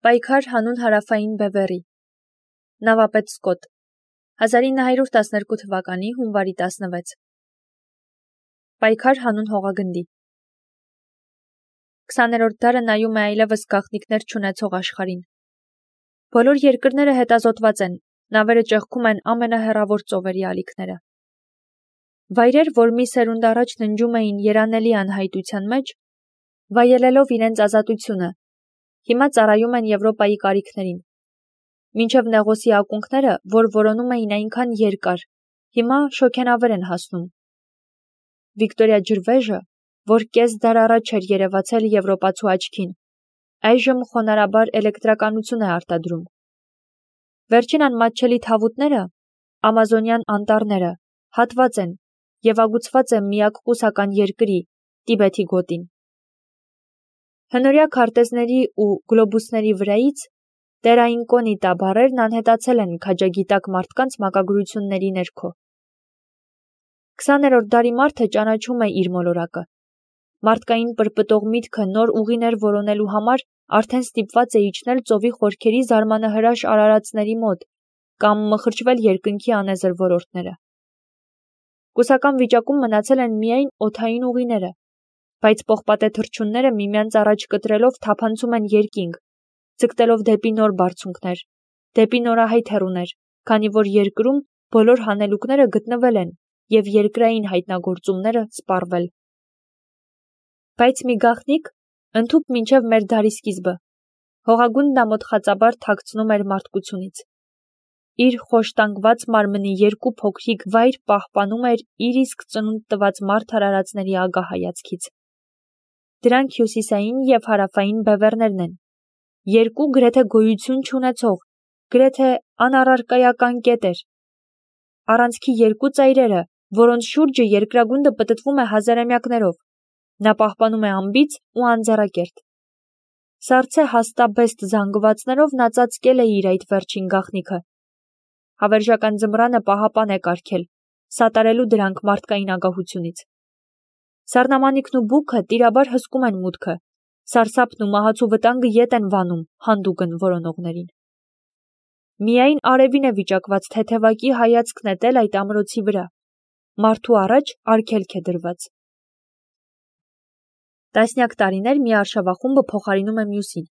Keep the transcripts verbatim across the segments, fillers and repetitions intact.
Պայքար հանուն հարավային բևեռի։ Նավապետ Սկոտ հազար ինը հարյուր տասներկու թվականի հունվարի տասնվեց։ Պայքար հանուն հողագնդի։ քսաներորդ դարը նայում է այլևս գաղտնիքներ չունեցող աշխարհին։ Բոլոր երկրները հետազոտված են, նավերը ճեղքում են ամենահեռավոր ծովերի ալիքները։ Վայրեր, որ մի սերունդ առաջ ննջում էին երանելի անհայտության մեջ, վայելելով իրենց ազատությունը, հիմա ծառայում են Եվրոպայի կարիքներին։ Մինչև Նեղոսի ակունքները, որ որոնում էին այնքան երկար, հիմա շոգենավեր են հասնում։ Վիկտորիա Ջրվեժը, որ կես դար առաջ էր երևացել եվրոպացու աչքին, այժմ խոնարհաբար էլեկտրականություն է արտադրում։ Վերջին անմատչելի թավուտները, ամազոնյան անտառները, հատված են և ագուցված է միակ կուսական երկրի՝ Տիբեթի գոտին։ Հնորյա քարտեզների ու գլոբուսների վրայից տերաինկոնիտա բառերն անհետացել են քաջագիտակ մարդկանց մակագրությունների ներքո։ քսաներորդ դարի մարդը ճանաչում է իր մոլորակը։ Մարդկային պրպտող միտքը նոր ուղիներ որոնելու համար արդեն ստիպված է իջնել ծովի խորքերի զարմանահրաշ արարածների մոտ կամ մխրճվել երկնքի անեզր ոլորտները։ Կուսական վիճակում մնացել են միայն օդային ուղիները, բայց պողպատե թռչունները միմյանց առաջ կտրելով թափանցում են երկինք, ձգտելով դեպի նոր բարձունքներ, դեպի նորահայտ հեռուներ, քանի որ երկրում բոլոր հանելուկները գտնվել են և երկրային հայտնագործումները սպառվել։ Բայց մի գաղտնիք ընդհուպ մինչև մեր դարի սկիզբը հողագունդն ամոթխածաբար թաքցնում էր մարդկությունից։ Իր խոշտանգված մարմնի երկու փոքրիկ վայր պահպանում էր իր իսկ ծնունդ տված մարդ արարածների ագահ հայացքից։ Դրանք հյուսիսային և հարավային բևեռներն են, երկու գրեթե գոյություն չունեցող, գրեթե անառարկայական կետեր, առանցքի երկու ծայրերը, որոնց շուրջը երկրագունդը պտտվում է հազարամյակներով, նա պահպանում է անբիծ ու անձեռակերտ։ Սառցե հաստաբեստ զանգվածներով նա ծածկել է իր այդ վերջին գաղտնիքը։ Հավերժական ձմռանը պահապան է կարգել, սատարելու դրանք մարդկային ագահությունից։ Սառնամանիքն ու բուքը տիրաբար հսկում են մուտքը, սարսափն ու մահացու վտանգը ետ են վանում հանդուգն որոնողներին։ Միայն արևին է վիճակված թեթևակի հայացք նետել այդ ամրոցի վրա, մարդու առաջ արգելք է դրված։ Տասնյակ տարիներ մի արշավախումբը փոխարինում է մյուսին։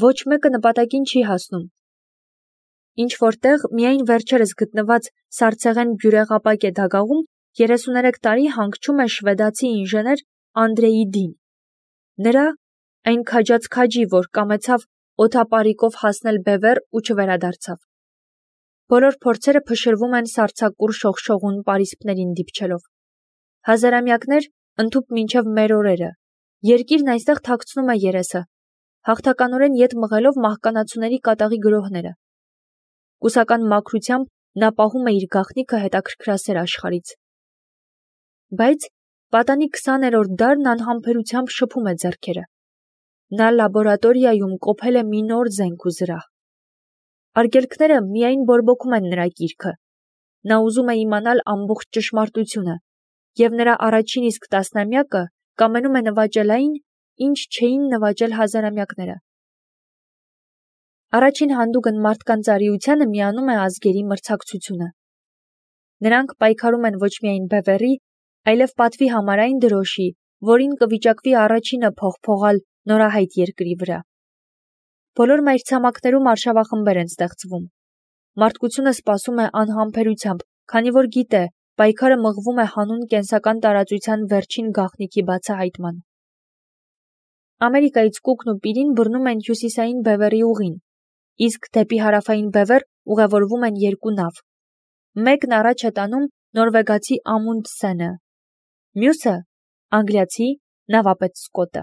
Ոչ մեկը նպատակին չի հասնում։ Ինչ-որ տեղ միայն վերջերս գտնված սառցեղեն բյուրեղապակե դագաղում երեսուներեք տարի հանգչում է շվեդացի ինժեներ Անդրեի Դին։ Նրա այն քաջած քաջի, որ կամեցավ օդապարիկով հասնել բևեռ ու չվերադարձավ։ Բոլոր փորձերը փշրվում են սառցակուռ շողշողուն պարիսպներին դիպչելով։ Հազարամյակներ ընդհուպ մինչև մեր օրերը։ Երկիրն այստեղ թաքցնում է երեսը, հաղթականորեն ետ մղելով մահկանացուների կատաղի գրոհները։ Կուսական մաքրությամբ նա պահում է իր գաղտնիքը հետաքրքրասեր աշխարհից։ Բայց պատանի քսաներորդ դարն անհամբերությամբ շփում է ձեռքերը։ Նա լաբորատորիայում կոփել է մի նոր զենք ու զրահ։ Արգելքները միայն բորբոքում են նրա կիրքը։ Նա ուզում է իմանալ ամբողջ ճշմարտությունը, և նրա առաջին իսկ տասնամյակը կամենում է նվաճել այն, ինչ չէին նվաճել հազարամյակները։ Առաջին հանդուգն մարդկանց արիությանը միանում է ազգերի մրցակցությունը։ Նրանք պայքարում են ոչ միայն բևեռի, այլև պատվի համար այն դրոշի, որին կվիճակվի առաջինը փողփողալ նորահայտ երկրի վրա։ Բոլոր մայրցամաքներում արշավախմբեր են ստեղծվում։ Մարդկությունը սպասում է անհամբերությամբ, քանի որ գիտե, պայքարը մղվում է հանուն կենսական տարածության վերջին գաղտնիքի բացահայտման։ Ամերիկայից Կուկն ու Պիրին բռնում են հյուսիսային բևեռի ուղին, իսկ դեպի հարավային բևեռ ուղևորվում են երկու նավ։ Մեկն առաջ է տանում նորվեգացի Ամունդսենը, մյուսը՝ անգլիացի նավապետ Սկոտը։